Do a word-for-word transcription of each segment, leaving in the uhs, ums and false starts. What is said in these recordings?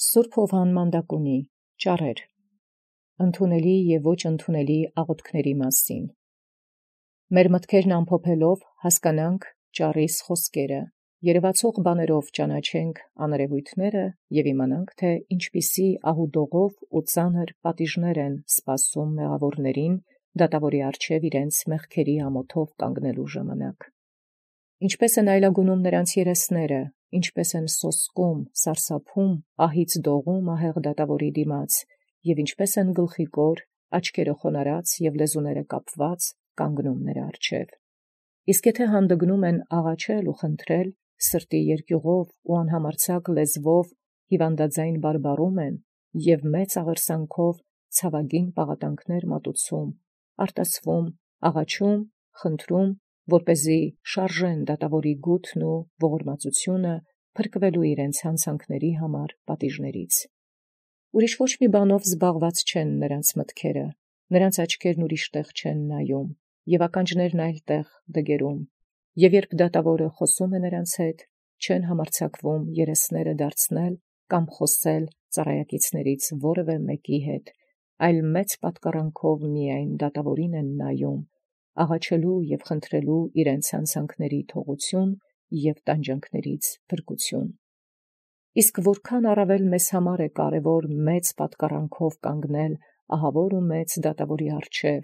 Սուրբ Հովհաննեան ճառեր ընդունելի և ոչ ընդունելի աղոթքների մասին։ Մեր մտքերն ամփոփելով հասկանանք ճառիս խոսքերը, երևացող բաներով ճանաչենք աներևույթները և իմանանք, թե ինչպիսի ահուդողով ու ծանր պատիժներ են սպասում մեղավորներին դատավորի առջև իրենց մեղքերի ամոթով կանգնելու ժամանակ։ Ինչպէս են այլագունում նրանց երեսները, ինչպէս են սոսկում, սարսափում, ահից դողում ահեղ դատավորի դիմաց, և ինչպէս են գլխիկոր, աչքերը խոնարհած և լեզուները կապված կանգնում նրա առջև։ Իսկ եթե հանդգնում են աղաչել ու խնդրել, սրտի երկյուղով ու անհամարձակ լեզվով հիվանդաձայն բարբառում են և մեծ աղերսանքով ցավագին պաղատանքներ մատուցում, արտասվում, աղաչում, խնդրում, որպեսզի շարժեն դատավորի գութն ու ողորմածությունը փրկվելու իրենց հանցանքների համար պատիժներից։ Ուրիշ ոչ մի բանով զբաղված չեն նրանց մտքերը, նրանց աչքերն ուրիշ տեղ չեն նայում, և ականջներն այլ տեղ դգերում, և երբ դատավորը խոսում է նրանց հետ, չեն համարձակվում երեսները դարձնել կամ խոսել ծառայակիցներից որևէ մեկի հետ, այլ մեծ պատկառանքով միայն դատավորին են նայում, աղաչելու և խնդրելու իրենց հանցանքների թողություն և տանջանքներից փրկություն։ Իսկ որքան առավել մեզ համար է կարևոր մեծ պատկառանքով կանգնել ահավոր ու մեծ դատավորի առջև,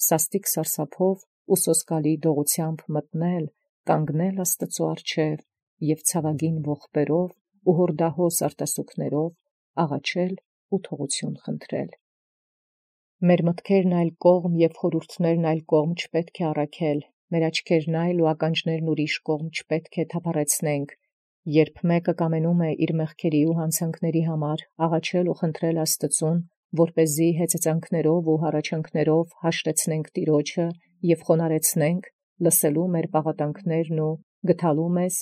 սաստիկ սարսափով ու սոսկալի դողությամբ մտնել, կանգնել Աստուծոյ առջև և ցավագին ողբերով ու հորդահոս արտասուքներով աղաչել ու թողություն խնդրել։ Մեր մտքերն այլ կողմ և խորհուրդներն այլ կողմ չպետք է առաքել, մեր աչքերն այլ ու ականջներն ուրիշ կողմ չպետք է թափառեցնենք, երբ մեկը կամենում է իր մեղքերի ու հանցանքների համար աղաչել ու խնդրել Աստծուն, որպեսզի հեծծանքներով ու հառաչանքներով հաշտեցնենք Տիրոջը և խոնարհեցնենք, լսելու մեր պաղատանքներն ու գթալու մեզ,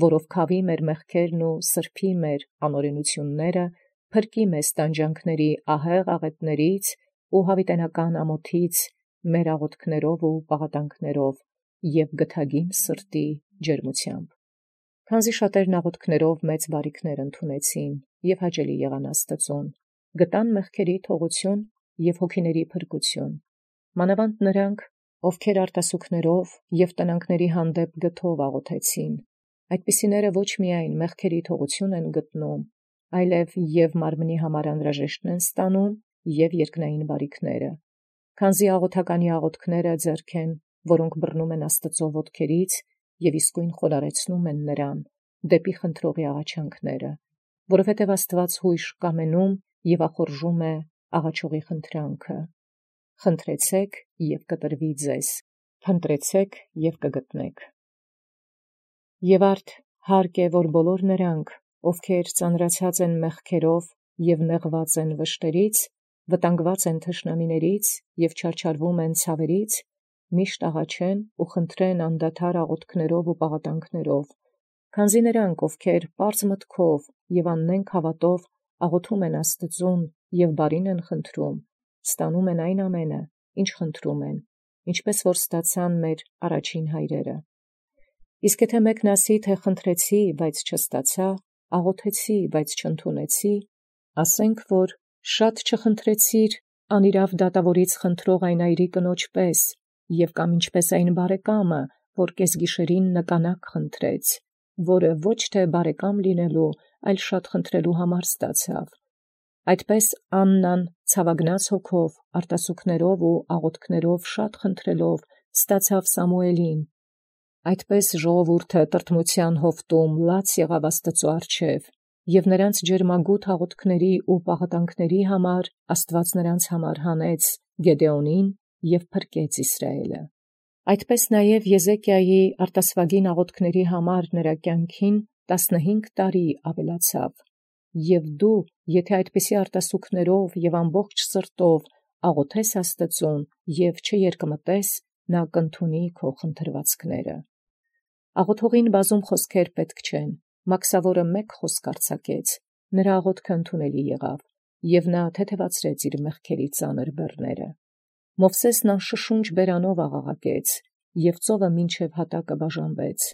որով քավի մեր մեղքերն ու սրբի մեր անօրենությունները, փրկի մեզ տանջանքների ահեղ աղետներից ու յաւիտենական ամոթից մեր աղոթքներով ու պաղատանքներով և գթագին սրտի ջերմությամբ։ Քանզի շատերն աղոթքներով մեծ բարիքներ ընդունեցին և հաճելի եղան Աստուծուն, գտան մեղքերի թողություն և հոգիների փրկություն, մանավանդ նրանք, ովքեր արտասուքներով և տնանքների հանդեպ գթով աղոթեցին, այդպիսիները ոչ միայն մեղքերի թողություն են գտնում, այլև և մարմնի համար անհրաժեշտն են ստանում և երկնային բարիքները, քանզի աղոթականի աղոթքները ձեռք են, որոնք բռնում են Աստծու ոտքերից և իսկույն խոնարհեցնում են նրան դեպի խնդրողի աղաչանքները, որովհետև Աստուած յույժ կամենում և ախորժում է աղաչողի խնդրանքը. խնդրեցեք և կտրվի ձեզ, փնտրեցեք և կգտնեք։ Եվ արդ հարկ է, որ բոլոր նրանք, ովքեր ծանրացած են մեղքերով և նեղված են վշտերից, վտանգված են թշնամիներից և չարչարվում են ցավերից, միշտ աղաչեն ու խնդրեն անդադար աղոթքներով ու պաղատանքներով, քանզի նրանք, ովքեր պարզ մտքով և աննենգ հավատով աղոթում են Աստծուն և բարին են խնդրում, ստանում են այն ամենը, ինչ խնդրում են, ինչպես որ ստացան մեր առաջին հայրերը։ Իսկ եթե մեկն ասի, թե խնդրեցի, բայց չստացա, աղոթեցի, բայց չընդունեցի, ասենք, որ շատ չխնդրեցիր անիրաւ դատավորից խնդրող այն այրի կնոջ պես, և կամ ինչպես այն բարեկամը, որ կեսգիշերին նկանակ խնդրեց, որը ոչ թե բարեկամ լինելու, այլ շատ խնդրելու համար ստացավ։ Այդպես Աննան ցավագնաց հոգով, արտասուքներով ու աղոթքներով շատ խնդրելով ստացավ Սամուէլին։ Այդպես ժողովուրդը տրտմութեան հովտում լաց եղավ Աստուծոյ առջև, և նրանց ջերմագութ աղոթքների ու պաղատանքների համար Աստուած նրանց համար հանեց Գեդեոնին և փրկեց Իսրայէլը։ Այդպես նաև Եզեկիայի արտասուագին աղոթքների համար նրա կյանքին տասնհինգ տարի ավելացավ, և դու, եթե այդպիսի արտասուքներով և ամբողջ սրտով աղոթես Աստծուն և չերկմտես, նա կընդունի քո խնդրվածքները։ Աղոթողին բազում խոսքեր պետք չեն, մաքսավորը մեկ խոսք արձակեց, նրա աղոթքը ընդունելի եղավ, և նա թեթևացրեց իր մեղքերի ծանր բեռները։ Մովսէսն անշշունչ բերանով աղաղակեց, և ծովը մինչև հատակը բաժանվեց։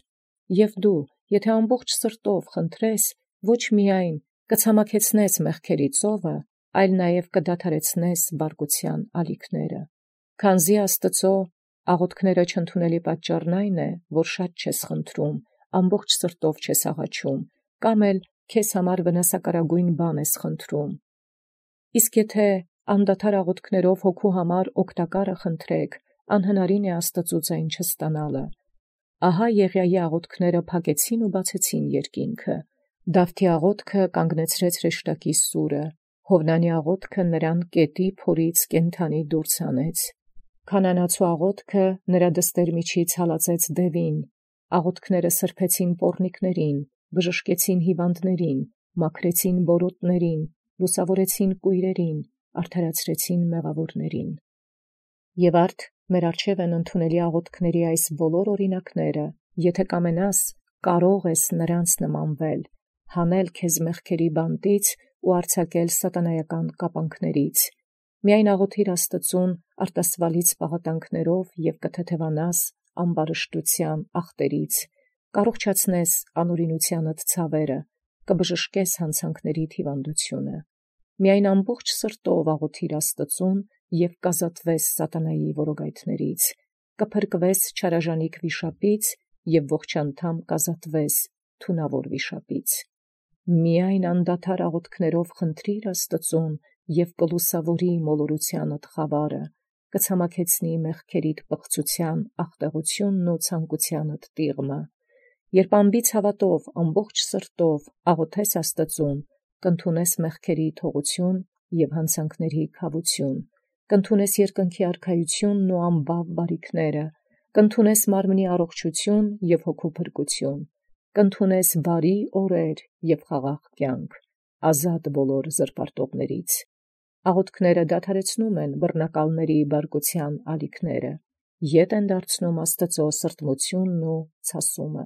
Եւ դու, եթե ամբողջ սրտով խնդրես, ոչ միայն կցամաքեցնես մեղքերի ծովը, այլ նաև կդադարեցնես բարկության ալիքները։ Քանզի Աստծո աղոթքները չընդունելի պատճառն այն է, որ շատ չես խնդրում, ամբողջ սրտով չես աղաչում, կամ էլ քեզ համար վնասակարագույն բան ես խնդրում։ Իսկ եթե անդադար աղոթքներով հոգու համար օգտակարը խնդրեք, անհնարին է Աստծուց այն չստանալը։ Ահա Եղիայի աղոթքները փակեցին ու բացեցին երկինքը, Դավթի աղոթքը կանգնեցրեց հրեշտակի սուրը, Հովնանի աղոթքը նրան կետի փորից կենդանի դուրս հանեց, Քանանացու աղոթքը նրա դստեր միջից հալածեց դևին, աղոթքները սրբեցին պոռնիկներին, բժշկեցին հիվանդներին, մաքրեցին բորոտներին, լուսավորեցին կույրերին, արդարացրեցին մեղավորներին։ Եվ արդ մեր առջև են ընդունելի աղոթքների այս բոլոր օրինակները, եթե կամենաս, կարող ես նրանց նմանվել, հանել քեզ մեղքերի բանտից ու արձակել սատանայական կապանքներից։ Միայն աղոթիր Աստծուն արտասվալից պաղատանքներով և կթեթևանաս ամբարշտության ախտերից, կառողջացնես անօրինությանդ ցավերը, կբժշկես հանցանքների հիվանդությունը։ Միայն ամբողջ սրտով աղոթիր Աստծուն և կազատվես սատանայի որոգայթներից, կփրկվես չարաժանիք վիշապից և ողջանդամ կազատվես թունավոր վիշապից։ Միայն անդադար աղոթքներով խնդրիր Աստծուն և կլուսավորի մոլորությանդ խավարը, կցամաքեցնի մեղքերիդ պղծության աղտեղությունն ու ցանկությանդ տիղմը։ Երբ անբիծ հավատով ամբողջ սրտով աղոթես Աստծուն, կընդունես մեղքերի թողություն և հանցանքների քավություն, կընդունես երկնքի արքայությունն ու անբավ բարիքները, կընդունես մարմնի առողջություն և հոգու փրկություն, կընդունես բարի օրեր և խաղաղ կյանք, ազատ բոլոր զրպարտողներից։ Աղոթքները դադարեցնում են բռնակալների բարկության ալիքները, ետ են դարձնում Աստծո սրտմությունն ու ցասումը։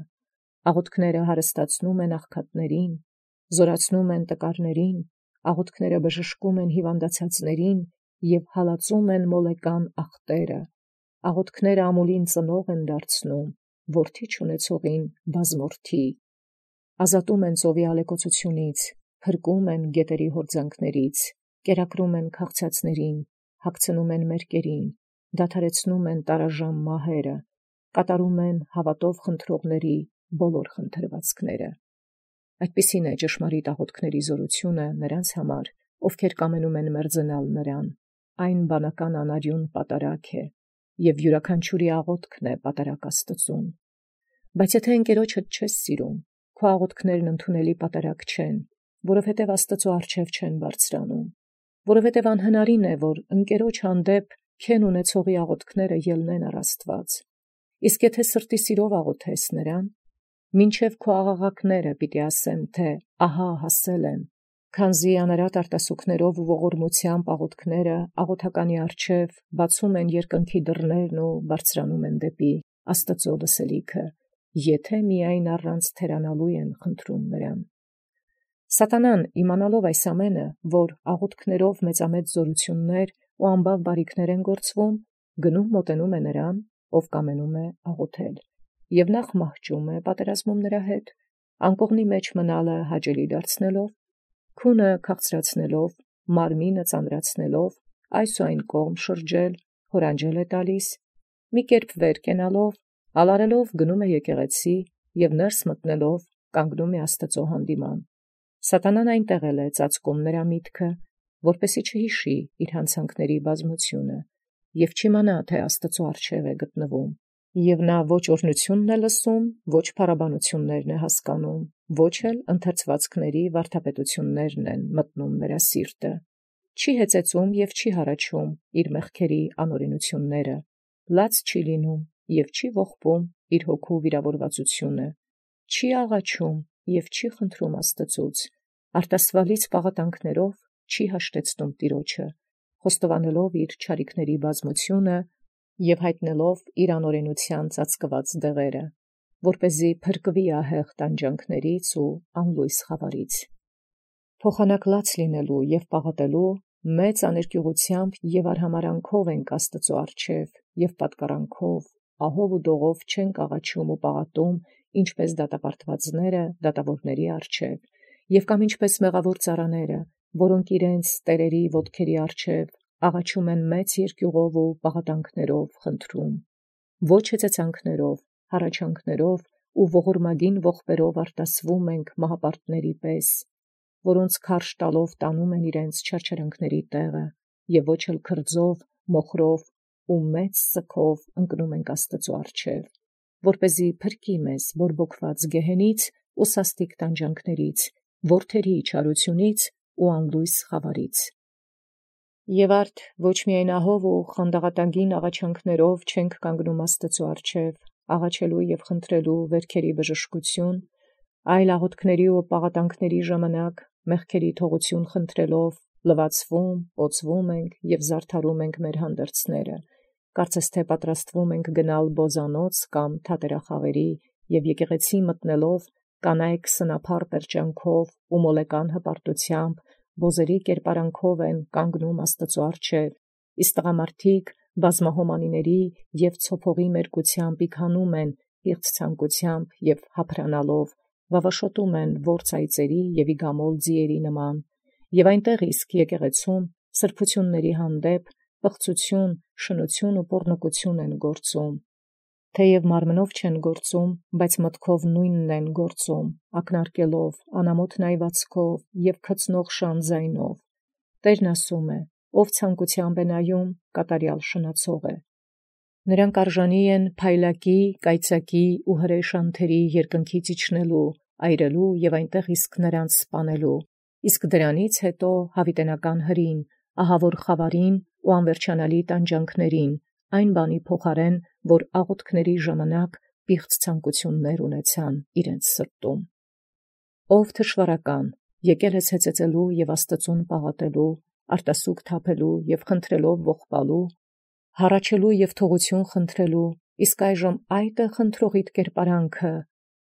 Աղոթքները հարստացնում են աղքատներին, զորացնում են տկարներին, աղոթքները բժշկում են հիվանդացածներին և հալածում են մոլեկան ախտերը, աղոթքները ամուլին ծնող են դարձնում, որդի չունեցողին բազմորդի, ազատում են ծովի ալեկոծությունից, փրկում են գետերի հորձանքներից, կերակրում են քաղցածներին, հագցնում են մերկերին, դադարեցնում են տարաժամ մահերը, կատարում են հավատով խնդրողների բոլոր խնդրվածքները։ Այդպիսին է ճշմարիտ աղոթքների զորությունը նրանց համար, ովքեր կամենում են մերձենալ նրան, այն բանական անարյուն պատարագ է, և յուրաքանչյուրի աղոթքն է պատարագ Աստծուն։ Բայց եթե ընկերոջդ չես սիրում, քո աղոթքներն ընդունելի պատարագ չեն, որովհետև Աստծո առջև չեն բարձրանում, որովհետև անհնարին է, որ ընկերոջ հանդեպ քեն ունեցողի աղոթքները ելնեն առ Աստված։ Իսկ եթե սրտի սիրով աղոթես նրան, մինչև քո աղաղակները պիտի ասեմ, թե ահա հասել եմ, քանզի անարատ արտասուքներով ու ողորմությամբ աղոթքները աղոթականի առջև բացում են երկնքի դռներն ու բարձրանում են դեպի Աստծո լսելիքը, եթե միայն առանց թերանալու են խնդրում նրան։ Սատանան, իմանալով այս ամենը, որ աղոթքներով մեծամեծ զորություններ ու անբավ բարիքներ են գործվում, գնում մոտենում է նրան, ով կամենում է աղոթել, և նախ մահճում է պատերազմում նրա հետ, անկողնի մեջ մնալը հաճելի դարձնելով, քունը քաղցրացնելով, մարմինը ծանրացնելով, այս ու այն կողմ շրջել, հորանջել է տալիս, մի կերպ վեր կենալով, ալարելով գնում է եկեղեցի և ներս մտնելով կանգնում է Աստծո հանդիման։ Սատանան այնտեղ էլ է ծածկում նրա միտքը, որպեսի չհիշի իր հանցանքների բազմությունը և չիմանա, թե Աստծո առջև է գտնվում, և նա ոչ օրհնությունն է լսում, ոչ փառաբանություններն է հասկանում, ոչ էլ ընթերցվածքների վարդապետություններն են մտնում նրա սիրտը, չի հեծեծում և չի հառաչում իր մեղքերի անօրինությունները, լաց չի լինում և չի ողբում իր հոգու վիրավորվածությունը, չի աղաչում և չի խնդրում Աստծուց, արտասվալից պաղատանքներով չի հաշտեցնում Տիրոջը, խոստովանելով իր չարիքների բազմությունը և հայտնելով իր անօրենության ծածկված դեղերը, որպեսզի փրկվի ահեղ տանջանքներից ու անլույս խավարից։ Փոխանակ լաց լինելու և պաղատելու մեծ աներկյուղությամբ և արհամարանքով ենք Աստծո առջև և պատկառանքով, ահով ու դողով չենք աղաչում ու պաղատում, ինչպես դատապարտվածները դատավորների առջև, եւ կամ ինչպես մեղավոր ծառաները, որոնք իրենց տերերի ոտքերի առջև աղաչում են մեծ երկյուղով ու պաղատանքներով խնդրում, ոչ հեծեցանքներով, հառաչանքներով ու ողորմագին ողբերով արտասվում ենք մահապարտների պես, որոնց քարշ տալով տանում են իրենց չարչարանքների տեղը, եւ ոչ էլ քրձով, մոխրով ու մեծ սքով ընկնում ենք Աստծու առջև, որպեսզի փրկի մեզ բորբոքված գեհենից ու սաստիկ տանջանքներից, որդերի չարությունից ու անլույս խավարից։ Եւ արդ ոչ միայն ահով ու խանդաղատագին աղաչանքներով չենք կանգնում Աստծու առջև, աղաչելու եւ խնդրելու վերքերի բժշկություն, այլ աղոթքների ու պաղատանքների ժամանակ մեղքերի թողություն խնդրելով լվացվում, ոցվում ենք եւ զարդարում ենք մեր հանդերձները, կարծես թե պատրաստվում ենք գնալ բոզանոց կամ թատերախաղերի եւ եկեղեցի մտնելով կանայք սնափառ պերճանքով ու մոլեկան հպարտությամբ բոզերի կերպարանքով են կանգնում Աստծու առջև, իսկ տղամարդիկ բազմահոմանիների եւ ցոփողի մերկությամբ իքանում են իղծ ցանկությամբ եւ հափրանալով, վավաշոտում են ворծայծերի եւ իգամոլ ձիերի նման, եւ այնտեղ իսկ եկեղեցում սրբությունների հանդեպ պղծություն, շնություն ու պոռնկություն են գործում, թեև մարմնով չեն գործում, բայց մտքով նույնն են գործում, ակնարկելով, անամոթ նայվածքով եւ քծնող շանձայնով։ Տերն ասում է. ով ցանկությամբ է նայում, կատարյալ շնացող է։ Նրանք արժանի են փայլակի, կայծակի ու հրեշանթերի երկնքից իջնելու, այրելու եւ այնտեղ իսկ նրանց սպանելու, իսկ դրանից հետո հավիտենական հրին, ահավոր խավարին ու անվերջանալի տանջանքներին, այն բանի փոխարեն, որ աղոթքների ժամանակ պիղծ ցանկություններ ունեցան իրենց սրտում։ Ով թշվառական, եկել ես հեծեծելու եւ Աստծուն պաղատելու, արտասուք թափելու եւ խնդրելով ողբալու, հառաչելու եւ թողություն խնդրելու, իսկ այժմ այդ է խնդրողիդ կերպարանքը,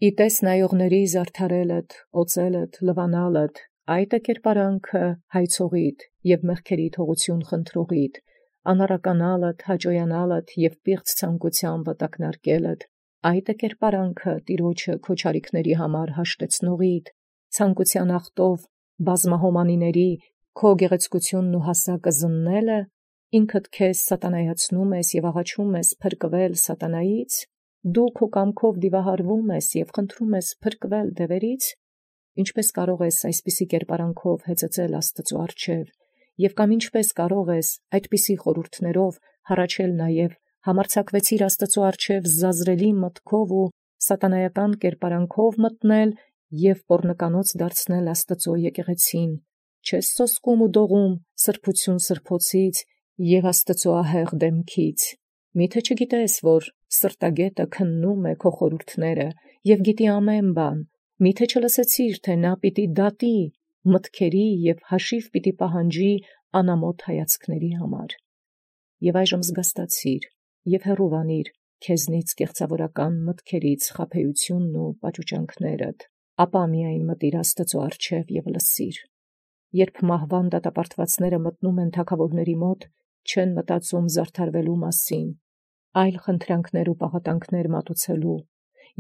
իտես նայողների զարդարելդ, օծելդ, լվանալդ, այդ է կերպարանքը հայցողիդ եւ մեղքերի թողություն խնդրողիդ, անառականալդ, հաճոյանալդ եւ պիղծ ցանկությամբ վտակնարկելդ, այդ է կերպարանքը Տիրոջը քո չարիքների համար հաշտեցնողիդ, ցանկության ախտով բազմահոմանիների քո գեղեցկությունն ու հասակը զննելը, ինքդ քեզ սատանայացնում ես եւ աղաչում ես փրկվել սատանայից, դու քո կամքով դիվահարվում ես եւ խնդրում ես փրկվել դևերից, ինչպես կարող ես այսպիսի կերպարանքով հեծեծել Աստծու առջև, եւ կամ ինչպես կարող ես այդպիսի խորհուրդներով հառաչել նաեւ համարձակվեցիր Աստծու առջև զազրելի մտքով ու սատանայական կերպարանքով մտնել եւ պոռնկանոց դարձնել Աստծու եկեղեցին, չես սոսկում ու դողում սրբություն սրբոցից եւ Աստծու ահեղ դեմքից, միթե չգիտես, որ սրտագետը քննում է քո խորհուրդները եւ գիտի ամեն բան, միթե չլսեցիր, թե նա պիտի դատի մտքերի եւ հաշիվ պիտի պահանջի անամոթ հայացքների համար։ Եվ այժմ զգաստացիր եւ հեռուվանիր քեզնից կեղծավորական մտքերից խաբեությունն ու պաճուճանքներդ, ապա միայն մտիր Աստծու առջև եւ լսիր։ Երբ մահվան դատապարտվածները մտնում են թագավորների մոտ, չեն մտածում զարդարվելու մասին, այլ խնդրանքներ ու պաղատանքներ մատուցելու,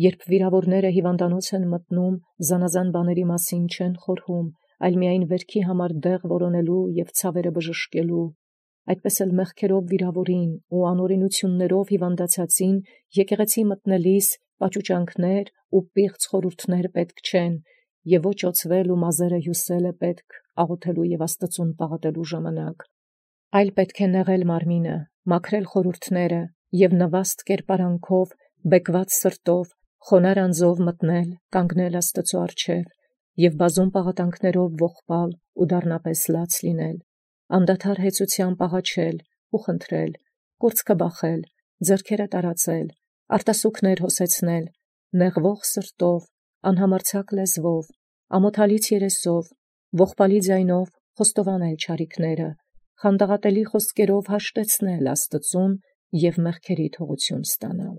երբ վիրավորները հիվանդանոց են մտնում, զանազան բաների մասին չեն խորհում, այլ միայն վերքի համար դեղ որոնելու եւ ցավերը բժշկելու, այդպես էլ մեղքերով վիրավորին ու անօրենություններով հիվանդացածին եկեղեցի մտնելիս պաճուճանքներ ու պիղծ խորհուրդներ պետք չեն, եւ ոչ օծվել ու մազերը հյուսել է պետք աղոթելու եւ Աստծուն պաղատելու ժամանակ, այլ պետք է նեղել մարմինը, մաքրել խորհուրդները եւ նվաստ կերպարանքով, բեկված սրտով, խոնար անձով մտնել, կանգնել Աստծու առջև եւ բազում պաղատանքներով ողբալ ու դառնապես լաց լինել, անդադար հեծությամբ աղաչել ու խնդրել, կուրծքը բախել, ձեռքերը տարածել, արտասուքներ հոսեցնել, նեղվող սրտով, անհամարձակ լեզվով, ամոթալից երեսով, ողբալի ձայնով խոստովանել չարիքները, խանդաղատելի խոսքերով հաշտեցնել Աստծուն եւ մեղքերի թողություն ստանալ։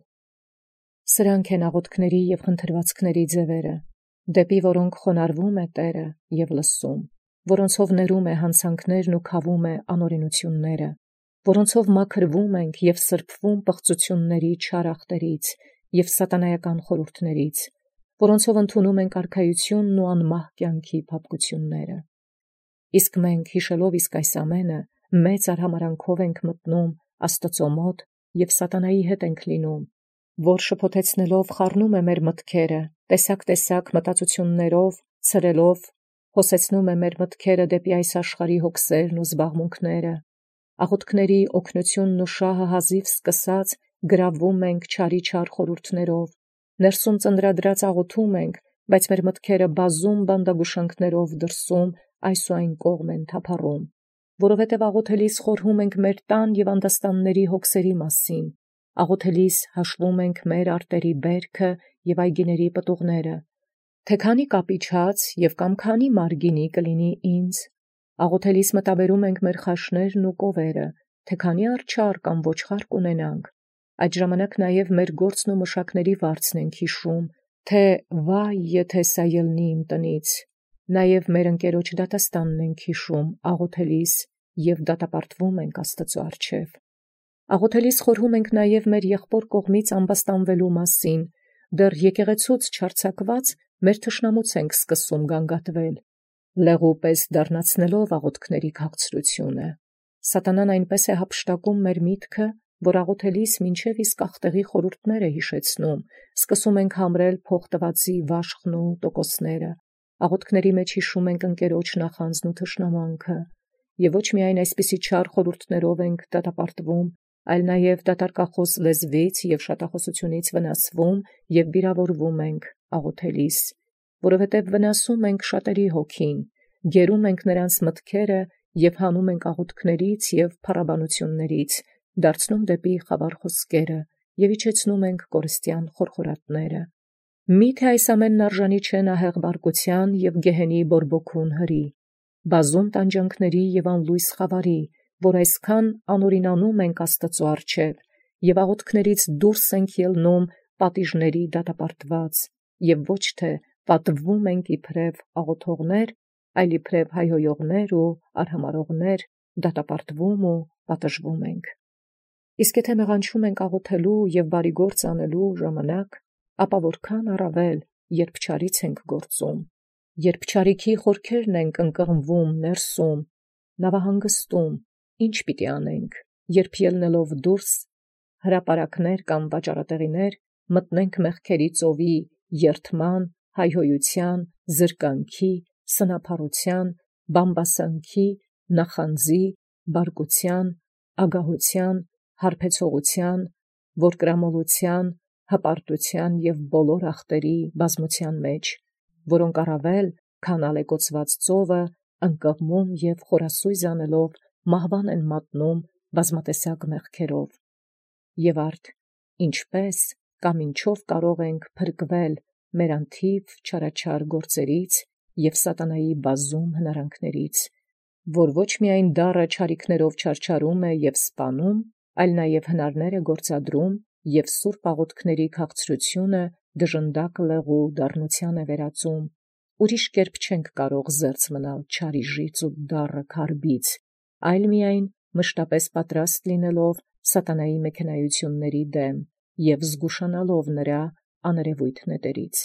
Սրանք են աղոթքների եւ խնդրվածքների ձևերը, դեպի որոնք խոնարհվում է Տերը եւ լսում, որոնցով ներում է հանցանքներն ու քավում է անօրենությունները, որոնցով մաքրվում ենք եւ սրբվում պղծությունների չար ախտերից եւ սատանայական խորհուրդներից, որոնցով ընդունում ենք արքայությունն ու անմահ կյանքի փափկությունները։ Իսկ մենք հիշելով իսկ այս ամենը մեծ արհամարանքով ենք մտնում Աստծո մոտ և սատանայի հետ ենք լինում, որ շփոթեցնելով խառնում է մեր մտքերը, տեսակ-տեսակ մտածություններով, ցրելով, հոսեցնում է մեր մտքերը դեպի այս աշխարհի հոգսերն ու զբաղմունքները, աղոթքների օգնությունն ու շահը հազիվ սկսած գրավում ենք չարի չար խորհուրդներով, ներսում ծնդրադրած աղոթում ենք, բայց մեր մտքերը բազում բանդագուշանքներով դրսում այս ու այն կողմ են թափառում, որովհետև աղոթելիս խորհում ենք մեր տան և անդաստանների հոգսերի մասին, աղոթելիս հաշվում ենք մեր արտերի բերքը և այգիների պտուղները, թե քանի կապիչած և կամ քանի մարգինի կլինի ինձ, աղոթելիս մտաբերում ենք մեր խաշներն ու կովերը, թե քանի արջառ կամ ոչխար կունենանք, այդ ժամանակ նաև մեր գործն ու մշակների վարձն ենք հիշում, թե վայ, եթե սա ելնի իմ տնից, նաև մեր ընկերոջ դատաստանն ենք հիշում, աղոթելիս և դատապարտվում ենք Աստծո առջև։ Աղոթելիս խորհում ենք նաև մեր եղբոր կողմից ամբաստանվելու մասին, դեռ եկեղեցուց չարձակված մեր թշնամուց ենք սկսում գանգատվել, լեղու պես դառնացնելով աղոթքների քաղցրությունը։ Սատանան այնպես է հափշտակում մեր միտքը, որ աղոթելիս մինչև իսկ ախտեղի խորհուրդներ է հիշեցնում, սկսում ենք համրել փոխտվածի վաշխն ու տոկոսները, աղոթքների մեջ հիշում ենք ընկերոջ նախանձն ու թշնամանքը, և ոչ միայն այսպիսի չար խորհուրդներով ենք դատապարտվում, այլ նաև դատարկախոս լեզվից և շատախոսությունից վնասվում և վիրավորվում ենք աղոթելիս, որովհետև վնասում ենք շատերի հոգին, գերում ենք նրանց մտքերը և հանում ենք աղոթքներից և փառաբանություններից, դարձնում դեպի խավար խոսքերը և իջեցնում ենք կորստյան խորխորատները։ Մի՞թե այս ամենն արժանի չէ ահեղ բարկության և գեհենի բորբոքուն հրի, բազում տանջանքների և անլույս խավարի, որ այսքան անօրինանում ենք Աստծո առջև և աղոթքներից դուրս ենք ելնում պատիժների դատապարտված և ոչ թե պատվվում ենք իբրև աղոթողներ, այլ իբրև հայհոյողներ ու արհամարհողներ դատապարտվում ու պատժվում ենք։ Իսկ եթե մեղանչում ենք աղոթելու և բարի գործ անելու ժամանակ, ապա որքան առավել, երբ չարից ենք գործում, երբ չարիքի խորքերն ենք ընկղմվում ներսում, նավահանգստում, ի՞նչ պիտի անենք, երբ ելնելով դուրս հրապարակներ կամ վաճառատեղիներ մտնենք մեղքերի ծովի երդման, հայհոյության, զրկանքի, սնափառության, բամբասանքի, նախանձի, բարկության, ագահության, հարբեցողության, որկրամոլության, հպարտության և բոլոր ախտերի բազմության մեջ, որոնք առավել, քան ալեկոծված ծովը, ընկղմում և խորասույզ անելով մահվան են մատնում բազմատեսակ մեղքերով։ Եվ արդ ինչպե՞ս կամ ինչով կարող ենք փրկվել մեր անթիվ չարաչար գործերից և սատանայի բազում հնարանքներից, որ ոչ միայն դառը չարիքներով չարչարում է և սպանում, այլ նաև հնարներ է գործադրում և սուրբ աղոթքների քաղցրությունը դժնդակ լեղու դառնության է վերածում։ Ուրիշ կերպ չենք կարող զերծ մնալ չարիժից ու դառը քարբից, այլ միայն մշտապես պատրաստ լինելով սատանայի մեքենայությունների դեմ և զգուշանալով նրա աներևույթ նետերից։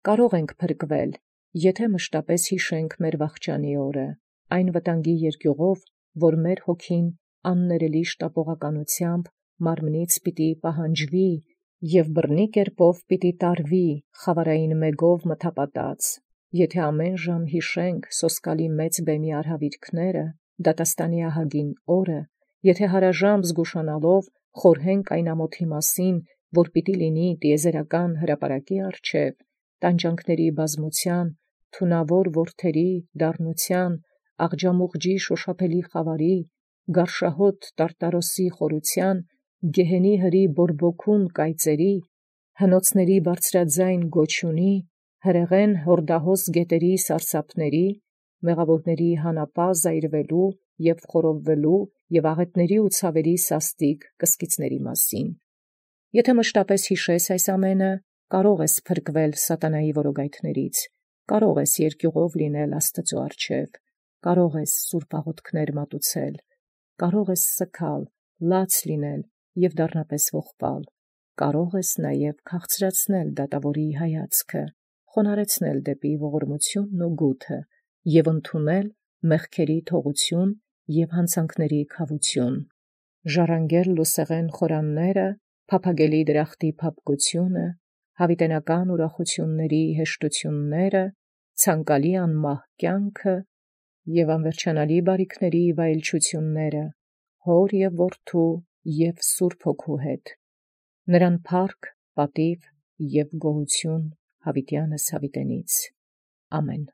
Կարող ենք փրկվել, եթե մշտապես հիշենք մեր վախճանի օրը, այն վտանգի երկյուղով, որ մեր հոգին աններելի շտապողականությամբ մարմնից պիտի պահանջվի և բռնի կերպով պիտի տարվի խավարային մեգով մթապատած, եթե ամեն ժամ հիշենք սոսկալի մեծ բեմի արհավիրքները, դատաստանի ահագին օրը, եթե հարաժամ զգուշանալով խորհենք այն ամոթի մասին, որ պիտի լինի տիեզերական հրապարակի առջև, տանջանքների բազմության, թունավոր որդերի դառնության, աղջամուղջի շոշափելի խավարի, գարշահոտ տարտարոսի խորության, գեհենի հրի բորբոքուն կայծերի, հնոցների բարձրաձայն գոչյունի, հրեղեն հորդահոս գետերի սարսափների, մեղավորների հանապա զայրվելու և խորովվելու և աղետների ու ցավերի սաստիկ կսկիծների մասին։ Եթե մշտապես հիշես այս ամենը, կարող ես փրկվել սատանայի որոգայթներից, կարող ես երկյուղով լինել Աստծո առջև, կարող ես սուրբ աղոթքներ մատուցել, կարող ես սգալ, լաց լինել և դառնապես ողբալ, կարող ես նաև քաղցրացնել դատավորի հայացքը, խոնարեցնել դեպի ողորմությունն ու գութը և ընդունել մեղքերի թողություն և հանցանքների քավություն, ժառանգել լուսեղեն խորանները, փափագելի դրախտի փափկությունը, հավիտենական ուրախությունների հեշտությունները, ցանկալի անմահ կյանքը և անվերջանալի բարիքների վայելչությունները, հոր և որդու և Սուրբ Հոգու հետ, նրան փառք, պատիւ և գոհություն յաւիտեանս յաւիտենից։ Ամեն։